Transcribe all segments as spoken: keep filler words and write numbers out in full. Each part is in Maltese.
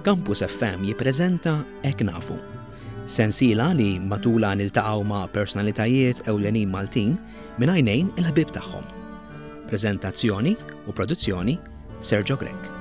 Campus F M jippreżenta Hekk Nafu. Sensiela li matula niltaqgħu ma' personalitajiet ewlenin Maltin minn għajnejn il-ħbib tagħhom. Preżentazzjoni u produzzjoni, Sergio Grech.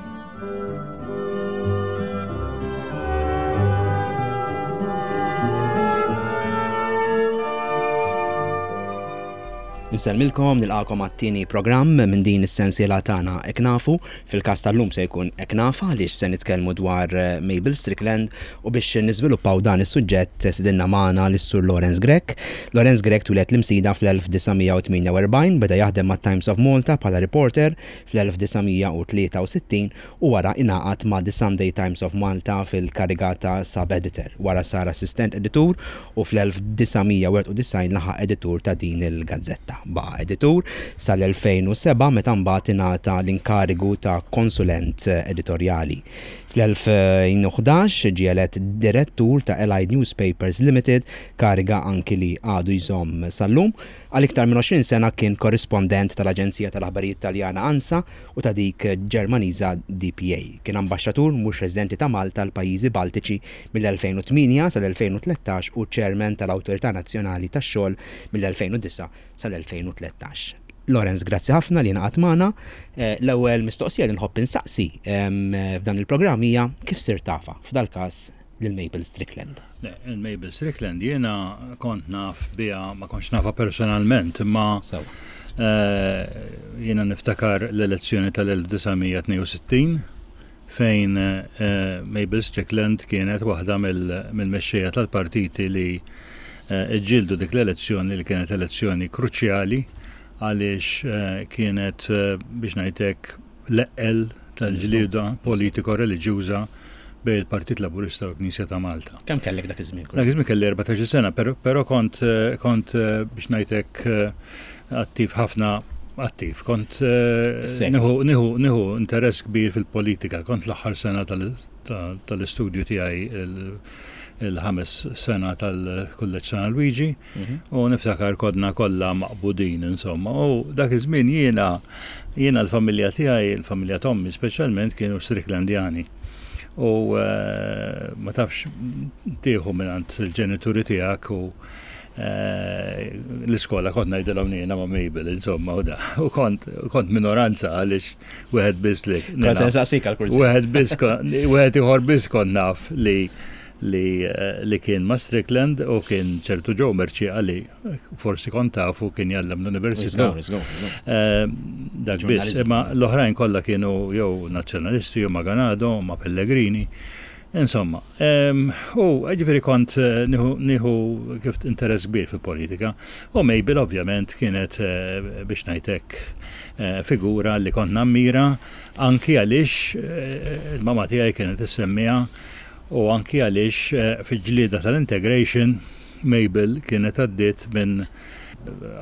Insellmilkom, nilqagħkom għat-tieni programm minn din is-sensiela tagħna Hekk Nafu. Fil-każ tal-lum se jkun Hekk Nafha, għaliex se nitkellmu dwar eh, Mabel Strickland, u biex niżviluppaw dan is-suġġett stedinna magħna lis-Sur Lawrence Grech. Lawrence Grech twieled l-Imsida fl-elf disa' mija u tmienja u erbgħin, beda jaħdem ma' Times of Malta bħala reporter fl-elf disa' mija u tlieta u sittin u wara ingħaqad ma' The Sunday Times of Malta fil-kariga ta' sub-editor. Wara sar assistant editur u fl-elf disa' mija u wieħed u disgħin laħaq editur ta' din il-gazzetta. Baqa' editur sal-elfejn u sebgħa, meta mbagħad ingħata l-inkarigu ta' konsulent editorjali. Fl-elfejn u ħdax ġie elett direttur ta' Allied Newspapers Limited, kariga anki li għadu jżomm sal-lum. Għal iktar minn għoxrin sena kien korrispondent tal-Aġenzija tal-Aħbarijiet Taljana ANSA u ta' dik Ġermaniża D P A. Kien ambaxxatur mhux residenti ta' Malta l-pajjiżi Baltiċi mill-elfejn u tmienja sal-elfejn u tlettax u chairman tal-Awtorità Nazzjonali tax-Xogħol mill-elfejn u disgħa sal-elfejn u tlettax. Lawrence, grazzi ħafna li ngħaqadt magħna. Eh, L-ewwel mistoqsija li nħobb insaqsi em, f'dan il-programm hija kif sirt tafha, f'dal-każ lil Mabel Strickland? Le, il-Mabel Strickland jiena kont naf biha, ma kontx nafha personalment, imma Sewa. eh, jiena niftakar l-elezzjoni tal-elf disa' mija tnejn u sittin fejn eh, Mabel Strickland kienet waħda mill-mexxejja tal-partiti li eh, ġġieldu dik l-elezzjoni, li kienet elezzjoni kruċjali għaliex eh, kienet eh, biex ngħidlek l-eqqel tal-ġlieda politiko-reliġjuża bejn il-Partit Laburista u l-Knisja ta' Malta. Kemm kellek dak iż-żmien? Dak iż-żmien kelli erbatax-il sena, però, però kont, eh, kont eh, biex ngħidlek eh, attiv ħafna, attiv. Kont eh, Sek. nieħu nieħu nieħu interess kbir fil-politika. Kont l-aħħar sena tal- ta- tal-istudju tiegħi, il- il-ħames sena tal-Kulleġġ San Luigi, Mhm. u niftakar konna kollha maqbudin, insomma. U dak iż-żmien jiena jiena l-familja tiegħi, il-familja t'ommi speċjalment, kienu Stricklandjani. U eh, ma tafx tieħu mingħand il-ġenituri tiegħek u eh, l-iskola kont ngħidilhom jiena ma' Mabel, insomma, u da. U kont kont minoranza għaliex wieħed biss li Kont se nsaqsik għal-kurżità. Wieħed biss kon- wieħed ieħor biss kont naf li li eh, li kien ma' Strickland, u kien ċertu Joe Mercieca li forsi kont tafu, kien jgħallem l-università. Żgur, żgur, żgur. Eh, Dak biss, Ġurnalizmu. imma l-oħrajn kollha kienu jew nazzjonalisti jew ma' Ganado, ma' Pellegrini. Insomma, em, u ġifieri kont eh, nieħu nieħu kif interess kbir fil-politika. U Mabel ovvjament kienet eh, biex ngħidlek eh, figura li kont nammira, anki għaliex eh, il-mama tiegħi kienet issemmiha u anki għaliex eh, fil-ġlieda tal-integration Mabel kienet għaddiet minn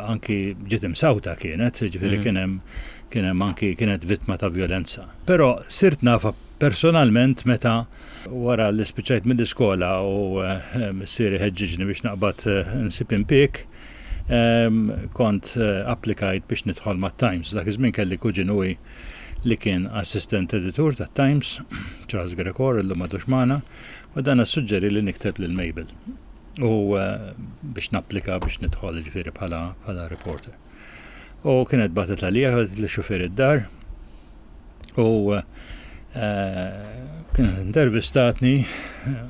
anki ġiet imsawta kienet, ġifieri Mm. kien hemm kien hemm anki kienet vittma ta' violenza. Però sirt nafha personalment meta wara li spiċċajt mill-iskola u eh, missieri ħeġġiġni biex naqbad eh, nsib impjieg, em, kont eh, applikajt biex nidħol ma' Times. Dak iż-żmien kelli kuġinuwi li kien assistent editur ta' Times, Charles Gregor, illum m'għadux magħna, u dan suġġeri li nikteb lil Mabel. U eh, biex napplika biex nidħol, ġifieri bħala bħala reporter. U kienet bagħtet għalija, bagħtet li xufier id-dar u eh, kienet intervistatni, eh,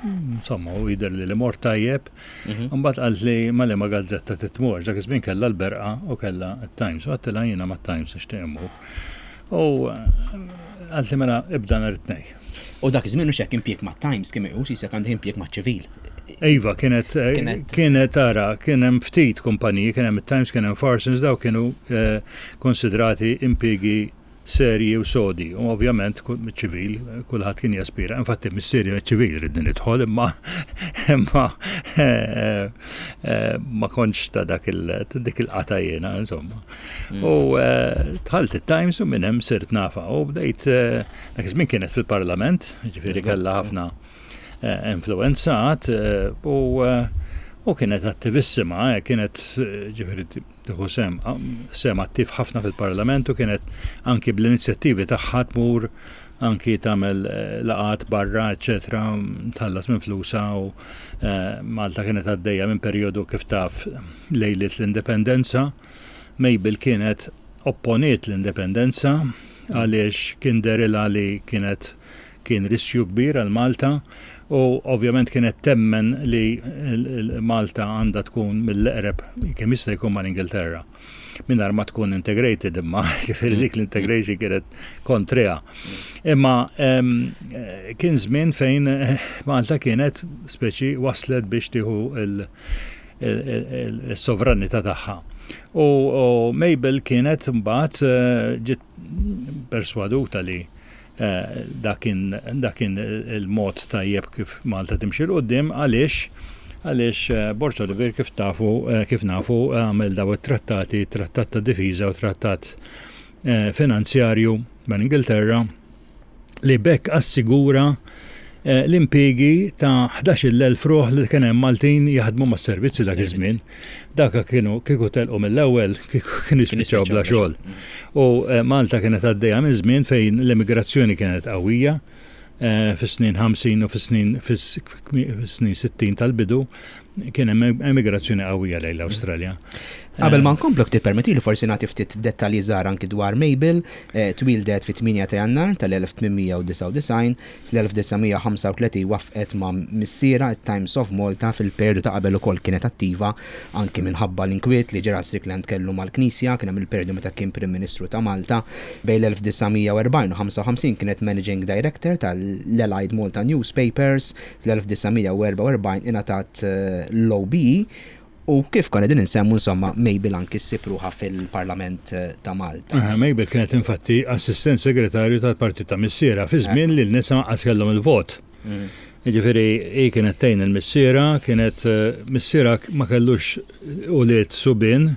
insomma, u jidher li li mort tajjeb. Mhm. Mbagħad qalt li ma li ma gazzetta titmur, dak iż-żmien kellha l-Berqa u kellha t-Times, u għedtilha jiena ma' Times nixtieq immur. U qalt li mela ibda nhar it-Tnejn. U dak iż-żmien hux hekk, impjieg ma' Times kien meqjus jisek għandek impjieg ma' ċivil. Iva, kienet, Kienet- kienet tara, kien hemm ftit kumpaniji, kien hemm it-Times, kien hemm Farsons, daw kienu eh, konsidrati impjiegi serji u sodi. U ovvjament ku- ċivil, kulħadd kien jaspira. Infatti missieri ċivil ridni nidħol, imma imma eh, eh, ma kontx ta' dak il ta' dik il-qata jiena, insomma. U eh, dħalt it-Times u minn hemm sirt nafha u bdejt eh, dak iż-żmien kienet fil-Parlament, ġifieri Żgur. kellha ħafna eh, influenzat eh, u eh, u kienet attivissima, eh, kienet eh, ġifieri tieħu sem sem attiv ħafna fil-Parlament u kienet anki bl-inizjattivi tagħha tmur anki tagħmel eh, laqgħat barra, eċetera, tħallas minn flusa u eh, Malta kienet għaddejja minn perjodu, kif taf, lejliet l-indipendenza. Mabel kienet opponiet l-indipendenza għaliex kien dehrilha li kienet kien riskju kbir għal Malta u ovvjament kienet temmen li Malta għandha tkun mill-eqreb kemm jista' jkun mal-Ingilterra mingħajr ma tkun integrated, imma ġifieri dik l-integration kienet kontriha. Imma kien żmien fejn Malta kienet speċi waslet biex tieħu il-sovranità tagħha. U Mabel kienet mbagħad eh, ġiet perswaduta li eh, dak kien il-mod tajjeb kif Malta timxi 'l quddiem. Għaliex għaliex eh, Borg Olivier, kif tafu, kif nafu, għamel daw it-trattati, trattat ta' difiża u trattat finanzjarju ma' Ingilterra, li b'hekk assigura l-impiegi ta' ħdax-il elf ruħ li kien hemm Maltin jaħdmu mas-servizzi dak iż-żmien. Daka kienu kieku telqu mill-ewwel, kieku kienu jispiċċaw bla xogħol. U Malta kienet għaddejja minn żmien fejn l-immigrazzjoni kienet qawwija fis-snin ħamsin u fis-snin fis-snin sittin tal-bidu kien hemm emigrazzjoni qawwija lejn l-Awstralja. Qabel ma nkomplu, tippermetti li forsi nagħti ftit dettalji żgħar anki dwar Mabel. Twildet fit-tmienja ta' Jannar tal-elf tmien mija u disgħa u disgħin, fl-elf disa' mija u ħamsa u tletin waqfet ma' missiera Times of Malta. Fil-periodu ta' qabel ukoll kienet attiva anki minħabba l-inkwiet li Gerald Strickland kellu mal-Knisja, kien hemm il-periodu meta kien Prim Ministru ta' Malta. Bejn l-elf disa' mija u erbgħin u ħamsa u ħamsin kienet Managing Director tal-Allied Malta Newspapers, fl-elf disa' mija u erbgħa u erbgħin ingħatat l-O B E u kif konna din insemmu, insomma, Mabel anki ssib ruħha fil-Parlament ta' Malta. Mabel kienet infatti assistent segretarju tal-partit ta' missiera fi żmien li l-nisa qas kellhom il-vot. Ġifieri, hi kienet tgħin il-missiera, kienet missiera ma kellux ulied subien,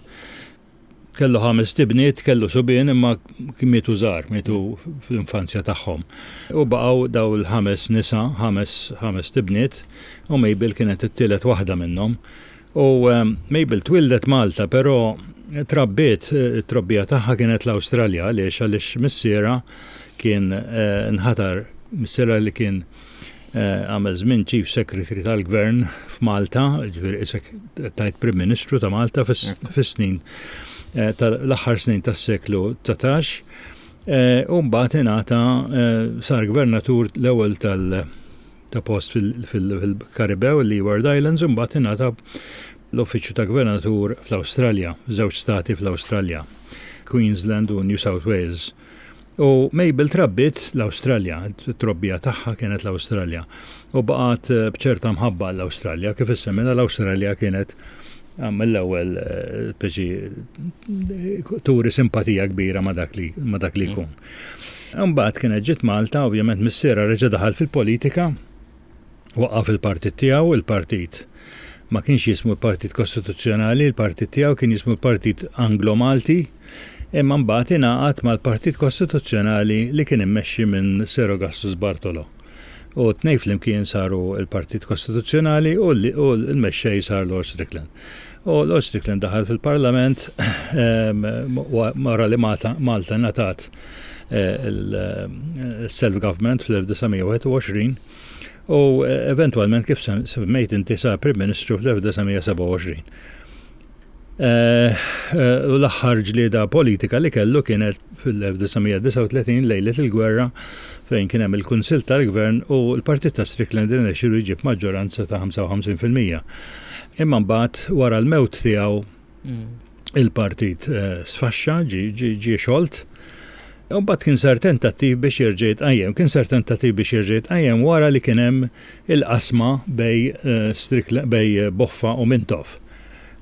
kellu ħames tibniet, kellu subien imma mietu żgħar, mietu fl-infanzja tagħhom. U baqgħu daw il-ħames nisa, ħames ħames tibniet, u Mabel kienet it-tielet waħda minnhom. U Mabel twildet Malta, però trabbiet, it-trobbija tagħha kienet l-Awstralja. Għaliex għaliex missiera kien nħatar, missiera li kien għamel żmien Chief Secretary tal-Gvern f'Malta, ġifieri isek tajt Prim Ministru ta' Malta fis-snin tal-aħħar snin tas-seklu dsatax, u mbagħad ingħata, sar gvernatur l-ewwel tal ta' post fil-Karibew, il-Leeward Islands, u mbagħad ingħata l-uffiċċju ta' gvernatur fl-Awstralja, żewġ stati fl-Awstralja, Queensland u New South Wales. U Mabel trabbiet l-Awstralja, trobbija tagħha kienet l-Awstralja. U baqgħet bċerta mħabba l-Awstralja, kif issemmina, l-Awstralja kienet mill-ewwel speċi turi simpatija kbira ma' dak li ma' dak li jkun. Mbagħad kienet ġiet Malta, ovvjament missiera reġa' daħal fil-politika, waqqaf il-partit tiegħu, il-partit ma kienx jismu l-Partit Kostituzzjonali, il-partit tiegħu kien jismu l-Partit Anglo-Malti, imma mbagħad ingħaqad mal-Partit Kostituzzjonali li kien immexxi minn Sir Augustus Bartolo. U tnejn flimkien saru l-Partit Kostituzzjonali u l-mexxej sar Lord Strickland. U Lord Strickland daħal fil-Parlament wara li Malta ngħatat il-self-government fl-elf disa' mija u wieħed u għoxrin u eventualment, kif semmejt inti, sar Prim Ministru fl-elf disa' mija u sebgħa u għoxrin. U l-aħħar ġlieda politika li kellu kienet fil-elf disa' mija u disgħa u tletin, lejlet il-gwerra, fejn kien hemm il-Kunsill tal-Gvern u l-Partit ta' Strickland irnexxielu jġib maġġoranza ta' ħamsa u ħamsin fil-mija. Imma mbagħad wara l-mewt tiegħu il-partit sfaxxa, ġie xolt. U mbagħad kien sar tentattiv biex jerġa' jitqajjem. Kien sar tentattiv biex jerġa' jitqajjem wara li kien hemm il-qasma bejn bejn Boffa u Mintoff.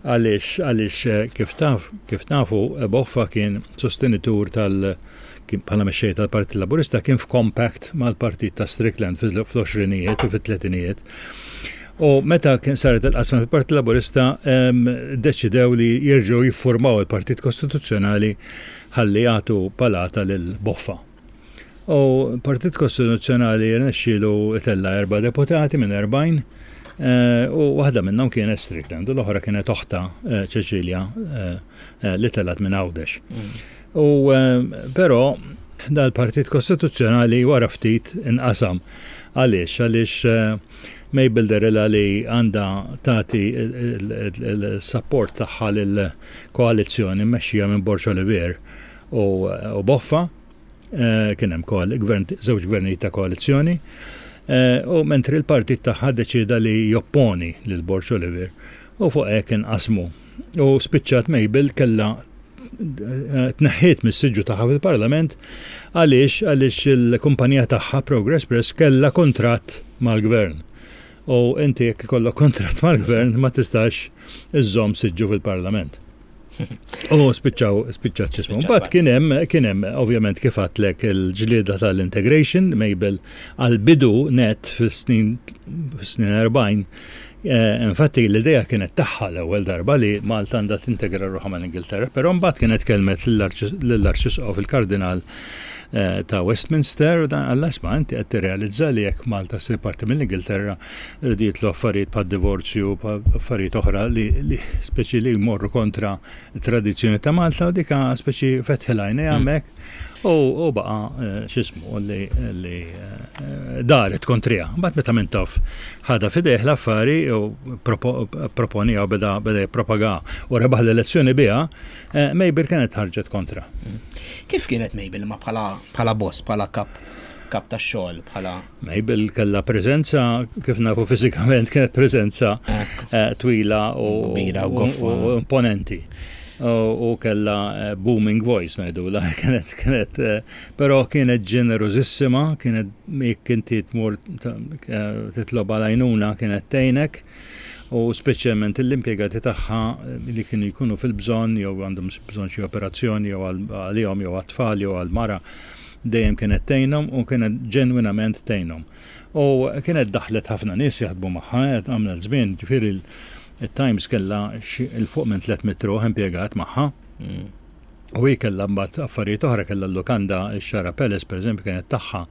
Għaliex għaliex kif taf kif nafu, Boffa kien sostenitur tal kien bħala mexxej tal-Partit Laburista kien f'compact mal-Partit ta' Strickland fl-għoxrinijiet u fit-tletinijiet. U meta kien saret il-qasma fil-Partit Laburista, deċidew li jerġgħu jiffurmaw il-Partit Kostituzzjonali ħalli jagħtu palata lil Boffa. U Partit Kostituzzjonali rnexxielu tella erba' deputati minn erbgħin u waħda minnhom kienet Strickland u l-oħra kienet oħta, Cecilia, li telgħet minn Għawdex. U però Dal-Partit Kostituzzjonali wara ftit inqasam. Għaliex? Għaliex eh, Mabel dehrilha li għandha tagħti il-support tagħha lill-koalizzjoni mmexxija minn Borg Olivier u u Boffa, eh, kien hemm gvern, żewġ gvernijiet ta' koalizzjoni, eh, u mentri l-partit tagħha deċida li jopponi lil Borg Olivier u fuq hekk inqasmu. U spiċċat Mabel kellha eh, tneħħiet mis-siġġu tagħha fil-Parlament. Għaliex? Għaliex il-kumpanija tagħha, Progress Press, kellha kontratt mal-gvern. U inti jekk ikollok kontratt mal-gvern ma tistax iżżomm siġġu fil-Parlament. U spiċċaw, spiċċat x'jismu. Spiċċat. Mbagħad kien hemm kien hemm ovvjament, kif għedtlek, il-ġlieda tal-integration. Mabel għal-bidu net fis-snin fis-snin erbgħin. Eh, infatti l-idea kienet tagħha l-ewwel darba li Malta għandha tintegra ruħha mal-Ingilterra, però mbagħad kienet kelmet lill-Arċisqof, il-Kardinal eh, ta' Westminster, u dan qalilha, "Isma', inti qed tirrealizza li jekk Malta ssir parti mill-Ingilterra rridu jidħlu affarijiet bħad divorzju, affarijiet oħra li, li speċi li jmorru kontra tradizzjoni ta' Malta", u dika speċi fetħilha għajnejha hemmhekk u, u baqa eh, x'jismu li, li eh, daret kontriha. Mbagħad meta Mintoff ħadha f'idejh l-affari u propo, proponija u beda beda jippropaga u rebaħ l-elezzjoni biha, eh, Mabel kienet ħarġet kontra. Kif kienet Mabel ma bħala bħala boss, bħala kap kap ta' xogħol, bħala Mabel kellha preżenza, kif nafu fiżikament, kienet preżenza Ekku. eh, twila u, Kbira u u, goffa. u imponenti. U, u kella eh, booming voice ngħidula, kienet kienet eh, però kienet ġenerosissima, kienet jekk inti tmur ta- eh, titlob għal-għajnuna kienet tgħinek, u speċjalment l-impjegati tagħha eh, li kienu jkunu fil-bżonn jew għandhom bżonn xi operazzjoni jew għal- għalihom jew għat-tfal jew għal-mara, dejjem kienet tgħinhom u kienet ġenwinament tgħinhom. U kienet daħlet ħafna nies jaħdmu magħha, għamlet żmien, ġifieri il- il-Times kellha xi- 'il fuq minn tliet mitt ruħ impjegat magħha. Mm. U hi kellha mbagħad affarijiet oħra, kellha l-lukanda, ix-Xara Palace pereżempju kienet tagħha.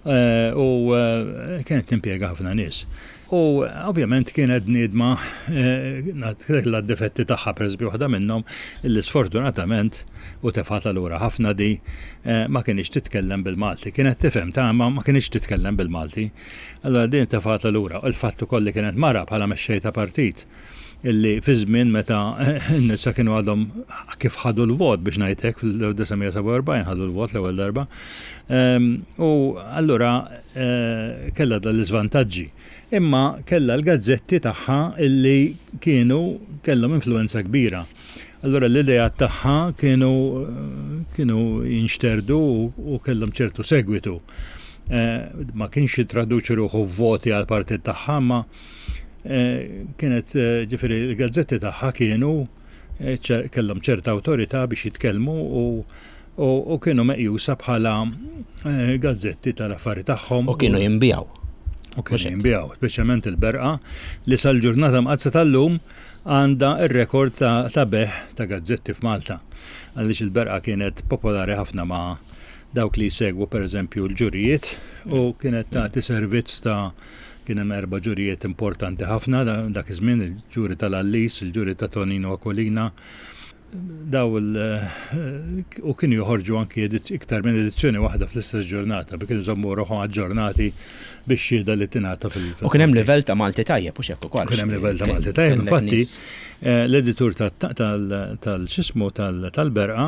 Eh, U eh, kienet timpjega ħafna nies. U ovvjament kienet bniedma eh, kellha d-difetti tagħha, pereżempju waħda minnhom illi sfortunatament u tefgħetha lura ħafna di eh, ma kienx titkellem bil-Malti. Kienet tifhem ta' ma ma kienx titkellem bil-Malti. Allora din tefgħetha lura. U l-fatt ukoll li kienet mara bħala mexxej ta' partit illi fi żmien meta n-nisa kienu għadhom kif ħadu l-vot, biex ngħidlek, fil-elf disa' mija sebgħa u erbgħin ħadu l-vot l-ewwel darba. Ehm, U allura eh, kellha dal-iżvantaġġi. Imma kellha l-gazzetti tagħha illi kienu kellhom influenza kbira. Allura l-idea tagħha kienu kienu jinxterdu u, u kellhom ċertu segwitu. Eh, ma kienx jitraduċi ruħu voti għal partit tagħha, ma eh, kienet eh, ġifieri l-gazzetti tagħha kienu eh, ċer- kellhom ċerta awtorità biex jitkellmu u, u, u kienu meqjusa bħala eh, gazzetti tal-affari tagħhom. U kienu jinbiegħu. U kienu Mhux hekk. jinbiegħu, speċjalment il-Berqa li sal-ġurnata mqaddsa tal-lum għandha ir-rekord ta', ta' bejgħ ta' gazzetti f'Malta. Għaliex il-Berqa kienet popolari ħafna ma' dawk li jsegwu pereżempju l-ġurijiet u kienet tagħti servizz ta' kien hemm erba' ġurijiet importanti ħafna da- dak iż-żmien, il-ġuri tal-Għallis, il-ġuri ta' Tonino Aquilina, daw il u kienu joħorġu anki edit- iktar minn edizzjoni waħda fl-istess ġurnata biex kienu jżommu ruħhom aġġornati biex xhieda li tingħata fil- U kien hemm livell ta' Malti tajjeb, u hekk ukoll. Kien hemm livell ta' Malti tajjeb, Kellek infatti, nies- Eh, L-editur tal-x'jismu tal-Berqa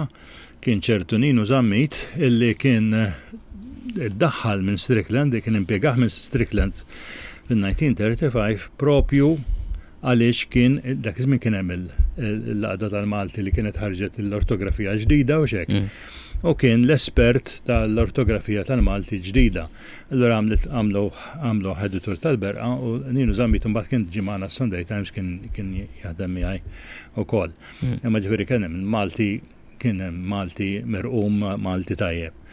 kien ċertu Ninu Zammit illi kien eh, iddaħħal minn Strickland, li kien impjegat minn Strickland fil-elf disa' mija tlieta u tletin propju għaliex kien dak iż-żmien kien hemm il- l-Għaqda tal-Malti li kienet ħarġet l-ortografija ġdida u xek. Mm. U kien l-espert tal-ortografija tal-Malti ġdida. Allora għamlet għamlu għamlu editur tal-Berqa u Ninu Zammit mbagħad kien ġie magħna Sunday Times, kien kien jaħdem miegħi ukoll. Mm. Imma ġifieri kien hemm Malti kien hemm Malti mirqum, Malti tajjeb.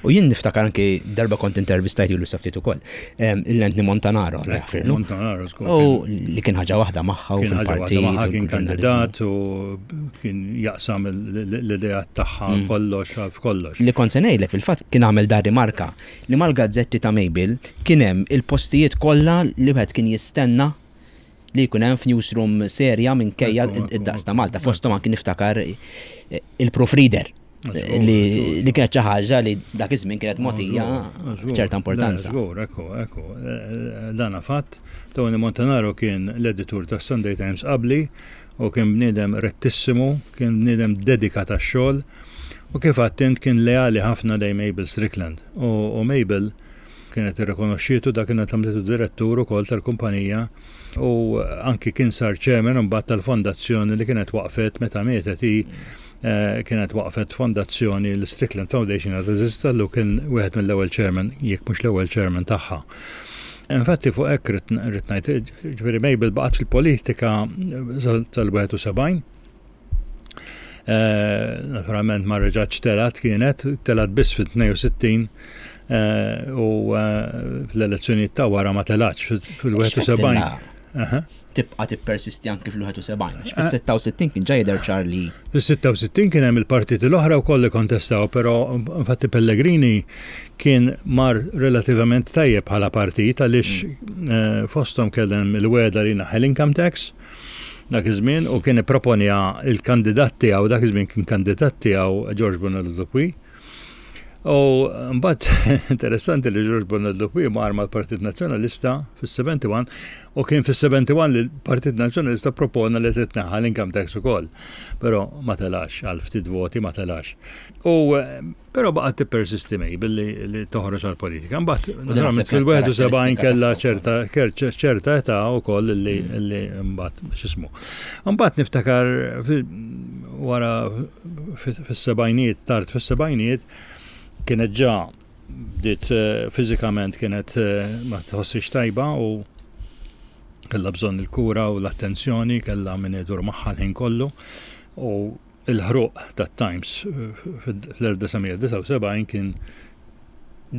U jien niftakar anki darba kont intervistajt ilu ftit ukoll, lil Anthony Montanaro, Allah jaħfirlu. Montanaro żgur. U li kien ħaġa waħda magħha u Kien ħaġa waħda fil-partit. magħha, u kien ġurnaliżmu. kandidat u kien jaqsam l-idea tagħha Mm. kollox f'kollox. Li kont se ngħidlek, fil-fatt kien għamel dar rimarka li mal-gazzetti ta' Mabel kien hemm il-postijiet kollha li wieħed kien jistenna li jkun hemm f'newsroom serja minkejja Ekku, ekku, id-daqs ta' Malta. Fosthom anki niftakar eh, il-proofreader. Li li kienet xi ħaġa li dak iż-żmien kienet mogħtija ċerta importanza. Żgur, ekku, ekku. Dana fatt. Tony Montanaro kien l-editur tas Sunday Times qabli u kien bniedem rettissimu, kien bniedem dedikat għax-xogħol u kif għedt kien leali ħafna lejn Mabel Strickland. U Mabel kienet irrikonoxxietu, dak kienet għamlitu direttur ukoll tal-kumpanija u anki kien sar chairman mbagħad tal-fondazzjoni li kienet waqfet meta mietet hi. eh, kienet waqfet fondazzjoni, l-Strickland Foundation, għad teżisti, u kien wieħed mill-ewwel chairman, jekk mhux l-ewwel chairman tagħha. Infatti fuq hekk rrid ngħid, ġifieri Mabel baqgħet fil-politika sal-wieħed u sebgħin. Eh, naturalment ma reġgħatx telgħet, kienet telgħet biss fit-tnejn u sittin eh, u fl-elezzjonijiet ta' wara ma telgħatx fil-wieħed u sebgħin. Tibqa' tippersisti anki fil-wieħed u sebgħin. Fis-sitta u sittin kien ġa jidher ċar li. Fis-sitta u sittin kien hemm il-partiti l-oħra wkoll li kontestaw, però infatti Pellegrini kien mar relativament tajjeb bħala partit għaliex mm. eh, fosthom kellem il-wegħda li jneħħi l-income tax dak iż-żmien u kien ipproponja il-kandidat tiegħu, dak iż-żmien kien kandidat tiegħu George Bonello Dupuis. U mbagħad interessanti li George Bonello Dupuis mar mal-Partit Nazzjonalista fis-sebgħa u sebgħin u kien fis-sebgħa u wieħed li l-Partit Nazzjonalista propona li titneħħa l-income tax ukoll. Però ma telax, għal ftit voti ma telax. U però baqgħet tippersisti Mabel li toħroġ għal-politika. Mbagħad naturalment fil-wieħed u sebgħin kellha ċerta ċerta età wkoll li mm. mbagħad x'ismu. Mbagħad niftakar wara fis-sebgħinijiet, tard fis-sebgħinijiet, kienet ġa bdiet eh, fiżikament kienet eh, ma tħossix tajba u kellha bżonn il-kura u l-attenzjoni, kellha min idur magħha l-ħin kollu, u il-ħruq tat-Times eh, fl-elf disa' mija disgħa u sebgħin kien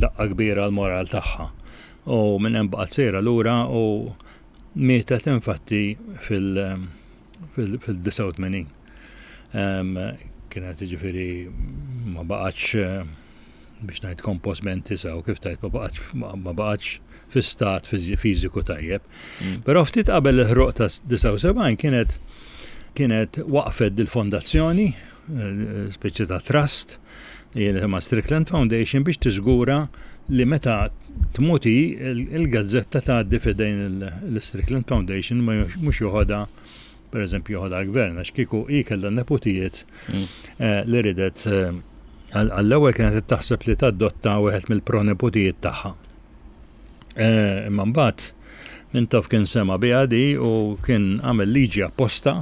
daqqa kbira l-moral tagħha. U minn hemm baqgħet sejra lura u mietet infatti fil-disgħa u tmenin. Kienet, ġifieri, ma baqgħetx, biex ngħid compos mentis u kif tajt, ma baqgħetx ma baqgħetx fi stat fiżiku tajjeb. Mm. Però ftit qabel il-ħruq ta' disgħa u sebgħin kienet kienet waqfet dil-fondazzjoni, eh, speċi ta' trust, ma' Strickland Foundation, biex tiżgura li meta tmut hi il-gazzetta tgħaddi f'idejn l-Strickland Foundation, mhux joħodha, per eżempju, joħodha l-gvern, għax kieku hi kellha neputijiet mm. eh, li ridet eh, għall-ewwel kienet taħseb li tadotta wieħed mill-proneputijiet tagħha. Eh, imma mbagħad Mintoff kien sema biha di u kien għamel liġi apposta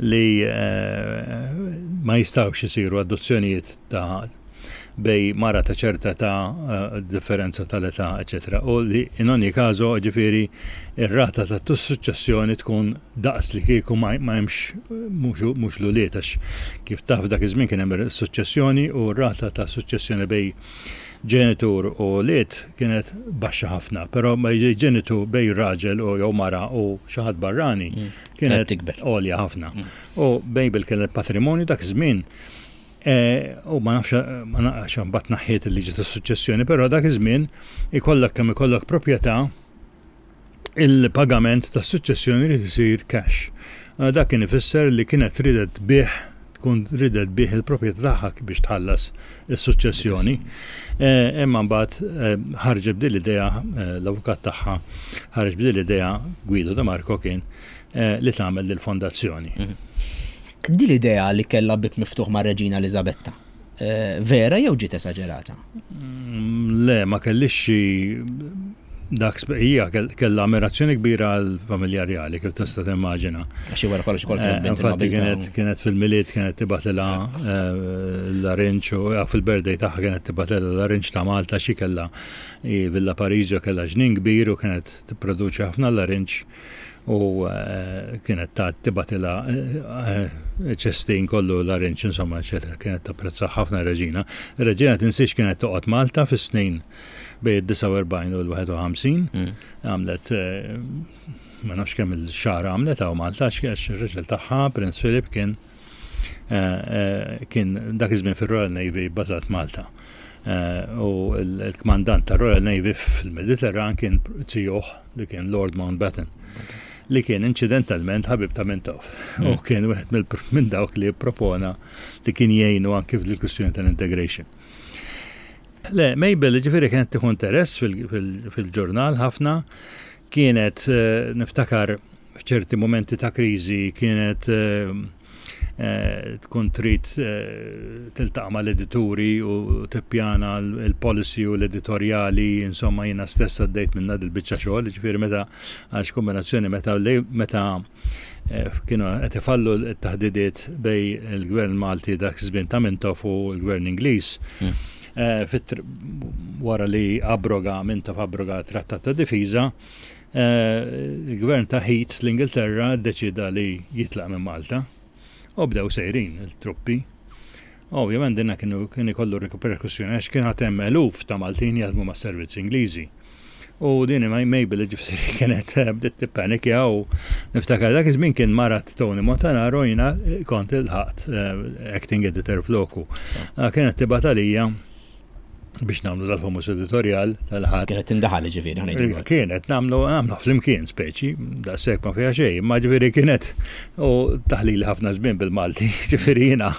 li eh, ma jistawx isiru adozzjonijiet ta' bejn mara ta' ċerta ta' eh, differenza tal-età, eċetera. U li in ogni caso, ġifieri, ir-rata ta' suċċessjoni tkun daqs li kieku ma hemmx mhux l-ulied, għax kif taf dak iż-żmien kien hemm suċċessjoni u r-rata ta' suċċessjoni bejn ġenitur u wlied kienet baxxa ħafna, però ma ġenitur bejn raġel u jew mara u xi ħadd barrani mm. kienet għolja ħafna. Mm. U Mabel kienet patrimonju dak iż-żmien. E, u ma nafx, ma nafx mbagħad naħħiet il-liġi tas-suċċessjoni, però dak iż-żmien ikollok kemm ikollok proprjetà, il-pagament tas-suċċessjoni li isir cash. Dak kien ifisser li kienet ridet bih tkun ridet bih il-proprjetà tagħha biex tħallas is-suċċessjoni. E, imma mbagħad e, ħarġet b'din l-idea, l-avukat tagħha ħareġ b'din l-idea, Guido De Marco kien, li tagħmel lill-fondazzjoni. Mhm. Din l-idea li kellha bieb miftuħ ma' Reġina Elizabetta, eh, vera jew ġiet esaġerata? Mm, le, ma kellix dak, hija kellha ammirazzjoni kbira għal familja rjali, kif tista' timmaġina. Għax wara kollox ukoll kienet bint Infatti kienet kienet fil-Milied kienet tibgħatilha eh, l-larinġ u eh, fil-birthday tagħha kienet tibgħatilha l-larinġ ta' Malta. Xi kellha Villa Parisio, kellha ġnien kbir u kienet tipproduċi ħafna larinġ u eh, kienet ta' tibgħatilha eh, ċestin kollu larinġ, insomma, eċetera. Kienet tapprezza ħafna reġina. Reġina, tinsiex, kienet toqgħod Malta fis-snin bejn id-disgħa u erbgħin u l-wieħed u ħamsin. Mm. Għamlet eh, ma nafx kemm il-xahar għamlet hawn Malta għax ir-raġel tagħha, Prince Philip, kien kien dak iż-żmien fir-Royal Navy bażat Malta. U l-kmandant tar-Royal Navy fil-Mediterran kien zijuh li kien Lord Mountbatten. li kien inċidentalment ħabib ta' Mintoff. U kien wieħed minn dawk li propona li kien jgħinu anki fil-kwistjoni tal-integration. Le, Mabel ġifieri kienet tieħu interess fil-ġurnal ħafna, kienet eh, niftakar f'ċerti momenti ta' kriżi kienet eh, eh, tkun trid tiltaqa' mal-edituri u tippjana l-policy u l-editorjali, insomma jiena stess għaddejt minna dil-biċċa xogħol, ġifieri meta għax kombinazzjoni meta meta kienu qed ifallu t-taħdidiet bejn il-Gvern Malti dak iż-żmien ta' Mintoff u l-Gvern Ingliż. Mm. Eh, wara li abroga Mintoff abroga trattat ta' difiża, eh, il-gvern ta' Heath l-Ingilterra ddeċida li jitlaq minn Malta u bdew sejrin il-truppi. Ovvjament dinna kienu kien ikollu reperkussjoni għax kien hemm eluf ta' Maltin jaħdmu mas-servizzi Ingliżi. U din Mabel ġifieri kienet eh, bdiet tippanikja u niftakar dak iż-żmien kien marat Tony Montanaro, jiena kont ilħaqt acting editor floku. Ah, kienet tibgħat għalija biex nagħmlu dal-famuż editorial tal-Ħadd. Kienet tindaħal ġifieri, ħa Kienet nagħmlu nagħmlu flimkien speċi, daqshekk ma fiha xejn, ma ġifieri kienet u taħlili ħafna żmien bil-Malti, ġifieri jiena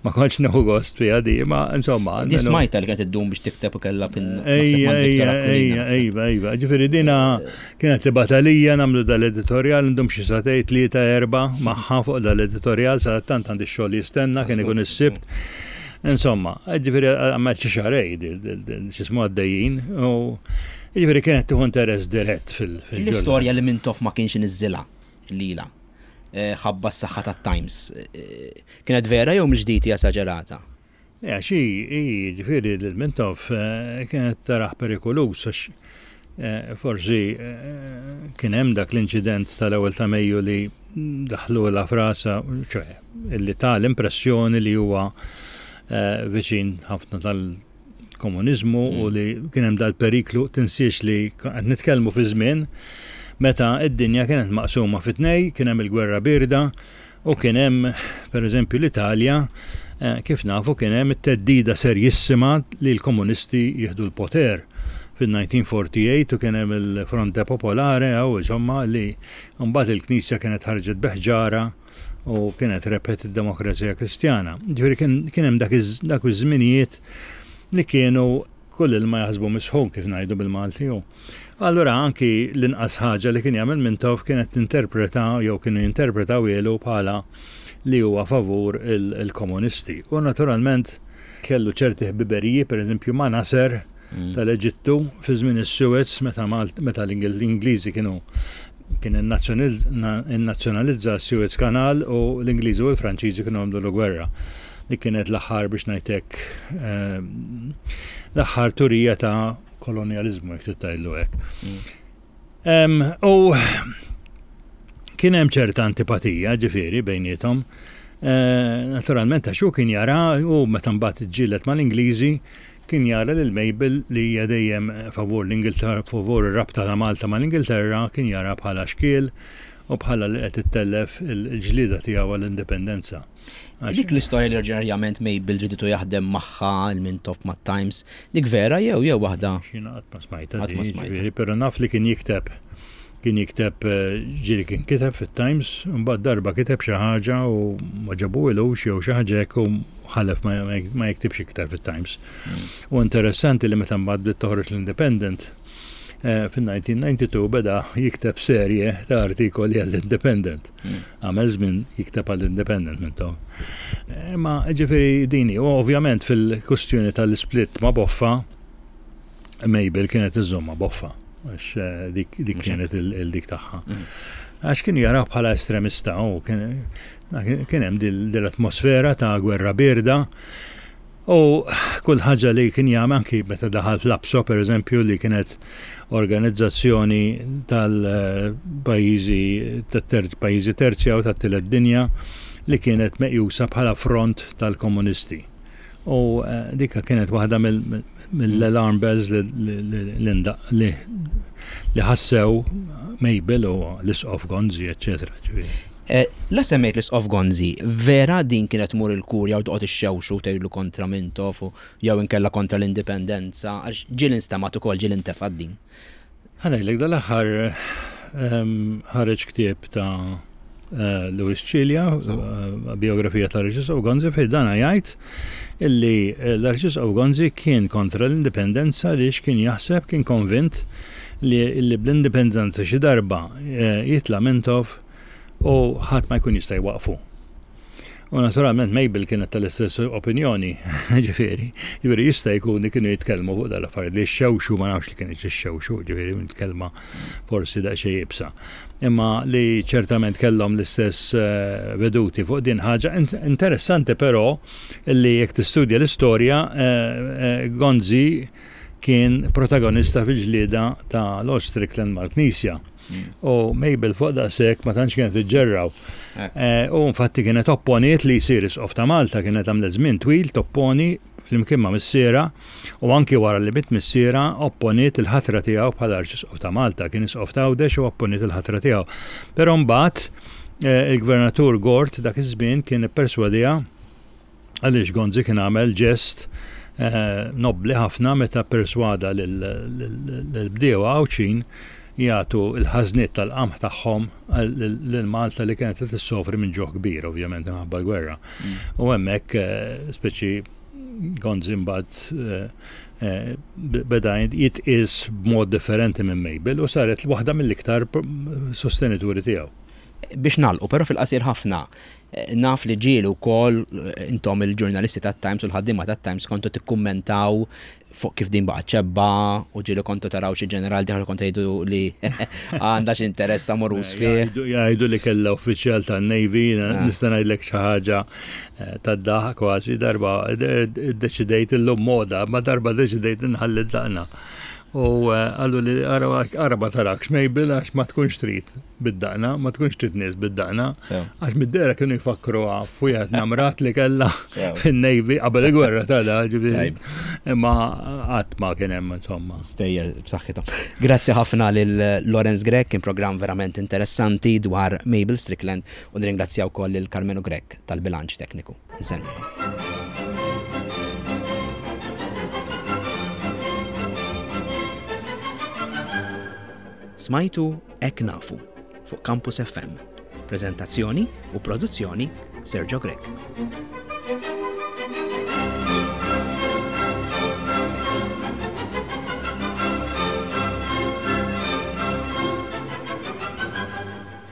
ma kontx nieħu gost fiha di, ma insomma. Di smajta li kienet iddum biex tikteb u kellha pin. Ejja, ejja, ejja, ejja, ġifieri dina kienet tibgħat għalija nagħmlu dal-editorial, ndum xi sagħtejn, tlieta, erba' magħha fuq dal-editorial, sa tant għandi xogħol jistenna, kien ikun is-Sibt. Insomma, ġifieri għamilt xi xahrejn x'jismu għaddejjin u ġifieri kienet tieħu interess dirett fil- L-istorja li Mintoff ma kienx niżżilha lila eh, ħabba s-saħħa tat-Times. Eh, kienet vera jew mill-ġdid hija esaġerata? Ja, xi, ġifieri l-Mintoff eh, kienet tarah perikolus għax forsi kien hemm dak l-inċident tal-ewwel ta' Mejju li daħlu la frasa, ċoè, illi ta l-impressjoni li huwa viċin ħafna tal-komuniżmu u mm. li kien hemm dal-periklu. Tinsiex li qed nitkellmu fi żmien meta id-dinja kienet maqsuma fi tnej, kien hemm il-gwerra birda u kien hemm pereżempju l-Italja, eh, kif nafu, kien hemm it-theddida serjissima li l-komunisti jieħdu l-poter fil-elf disa' mija u erbgħa u erbgħin u kien hemm il-Fronte Popolare għaw insomma li mbagħad il-Knisja kienet ħarġet b'ħġarha u kienet rebħet id-demokrazija kristjana. Ġifieri kien hemm dak iż-żminijiet li kienu kull ilma jaħsbu misħun, kif ngħidu bil-Malti. Allura anki l-inqas ħaġa li kien jagħmel Mintoff kienet tinterpreta jew kienu jinterpretaw ilu bħala li huwa favur il-komunisti. U naturalment kellu ċerti ħbiberiji, per eżempju ma' Nasser mm. tal-Eġittu fi żmien is-Suez meta meta l-Ingliżi kienu kien innazzjonalizza Suez Canal u l-Ingliżi u l-Franċiżi kienu għamlu l-gwerra. Li kienet l-aħħar, biex ngħidlek, ehm, l-aħħar turija ta' kolonializmu, jekk tgħidlu hekk. Mm. U kien hemm ċerta antipatija ġifieri bejniethom. Eh, naturalment għax hu kien jara u meta mbagħad ġġieled mal-Ingliżi kien jara lil Mabel li hija dejjem favur l-Ingilterra, favur ir-rabta ta' Malta mal-Ingilterra, kien jara bħala xkiel u bħala li qed ittellef il-ġlieda tiegħu għall-indipendenza. Dik l-istorja li oriġinarjament Mabel riditu jaħdem magħha il-Mintoff mat-Times, dik vera jew jew waħda? Jiena qatt ma smajta. Qatt ma smajta. Però naf li kien jikteb kien jikteb, eh, ġieli kien kiteb fit-Times, mbagħad darba kiteb xi ħaġa u ma għoġbuhiex jew xi ħaġa hekk u ħalef ma jiktibx iktar fit-Times. Mm. U interessanti li meta mbagħad bdiet toħroġ l-Independent eh, fin-elf disa' mija u disgħa u disgħin beda jikteb serje ta' artikoli għall-Independent. Mm. Għamel żmien jikteb għall-Independent Mintoff. Eh, ma ġifieri dini, u ovvjament fil-kustjoni tal-split ma' Boffa, Mabel kienet iżżomm ma' Boffa, għax eh, dik kienet il-dik tagħha. Mm. Għax kien jara bħala estremista u kien hemm dil-atmosfera ta' gwerra birda u kull ħaġa li kien jagħmel, anki meta daħal fl-APSO per eżempju, li kienet organizzazzjoni tal-pajjiżi pajjiżi terzja u tat-tielet dinja li kienet meqjusa bħala front tal-komunisti. U eh, dikka kienet waħda mill-alarm bells li li ħassew Mabel u l-Isqof Gonzi, eccetera. Eh, la semmejt l-Isqof Gonzi, vera din kienet tmur il-kurja u toqgħod ixxewxu tgħidlu kontra Mintoff jew inkella kontra l-indipendenza, għax ġieli nstemat ukoll, ġieli ntefgħet din. Ħa ngħidlek, dal-aħħar ħareġ ktieb ta' eh, Louis Cilia, eh, biografija tal-Arċisqof Gonzi, fejn dana jgħid illi eh, l-Arċisqof Gonzi kien kontra l-indipendenza għaliex kien jaħseb, kien konvint li, li bl-indipendenza xi darba jitla' Mintoff u ħadd ma jkun jista' jwaqfu. U naturalment Mabel kienet tal-istess opinjoni, ġifieri, ġifieri jista' jkun li kienu jitkellmu fuq dal-affarijiet li xewxu, ma nafx li kienet xewxu, ġifieri kelma forsi daqsxejn iebsa. Imma li ċertament kellhom l-istess eh, veduti fuq din ħaġa. Interessanti però li jekk tistudja l-istorja, eh, eh, Gonzi kien protagonista fil-ġlieda ta' Lord Strickland mal-Knisja. U Mabel fuq daqshekk ma tantx kienet iġġerraw. Eh, u infatti kienet opponiet li jsir isqof ta' Malta, kienet għamlet żmien twil topponi flimkien ma' missiera u anki wara li miet missiera opponiet il-ħatra tiegħu bħala arċisqof ta' Malta, kien isqof ta' Għawdex u opponiet il-ħatra tiegħu. Però mbagħad eh, il-gvernatur Gort dak iż-żmien kien ipperswadiha għaliex Gonzi kien għamel ġest eh, nobli ħafna meta perswada lill-bdiewa Għawdxin jagħtu l-ħażniet tal-qamħ tagħhom lil Malta li kienet qed issofri minn ġuħ kbir ovvjament minħabba l-gwerra. Mm. U hemmhekk eh, speċi Gonzi mbagħad eh, eh, beda jitqies b'mod differenti minn Mabel u saret waħda mill-iktar sostenituri tiegħu. Biex nagħlqu, però fil-qasir ħafna, naf li ġieli wkoll intom il-ġurnalisti tat-Times u l-ħaddiema tat-Times kontu tikkummentaw fuq kif din baqgħet xebba u ġieli kontu taraw xi ġeneral dieħel kontu jgħidu li għandha xi interess amoruż fih. Jgħidu li kellha uffiċjal tan-Navy, ah. nista' ngħidlek xi ħaġa eh, tad-daħ kważi darba iddeċidejt illum moda, ma darba deċidejt inħalli daqna. U eh, qallu li ara ma tarakx Mabel għax ma tkunx trid bid-daqna, ma tkunx trid nies bid-daqna. Għax mid-dehra kienu jfakru f'wieħed namrat li kellha fin-Navy qabel il-gwerra ta' da, ġifieri. Imma qatt ma kien hemm insomma. Stejjer b'saħħithom. Grazzi ħafna lil Lawrence Grech, kien programm verament interessanti dwar Mabel Strickland u nirringrazzjaw ukoll lil Karmenu Grech tal-bilanċ tekniku. Insellmilkom. Smajtu Hekk Nafu fuq Campus F M. Prezentazzjoni u produzzjoni Sergio Grech.